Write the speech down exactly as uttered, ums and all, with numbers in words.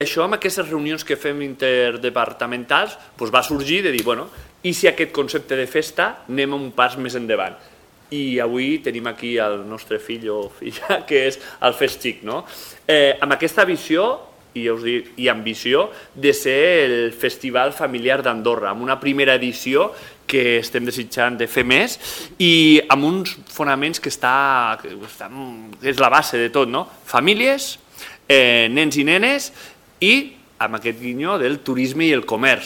això, amb aquestes reunions que fem interdepartamentals, doncs va sorgir de dir, bueno, i si aquest concepte de festa anem un pas més endavant? I avui tenim aquí el nostre fill o filla, que és el Fest Xic, no? Eh, amb aquesta visió i, ja us dic, i ambició de ser el festival familiar d'Andorra, amb una primera edició que estem desitjant de fer més i amb uns fonaments que, està, que, està, que és la base de tot, no? Famílies, eh, nens i nenes i amb aquest guinyó del turisme i el comerç.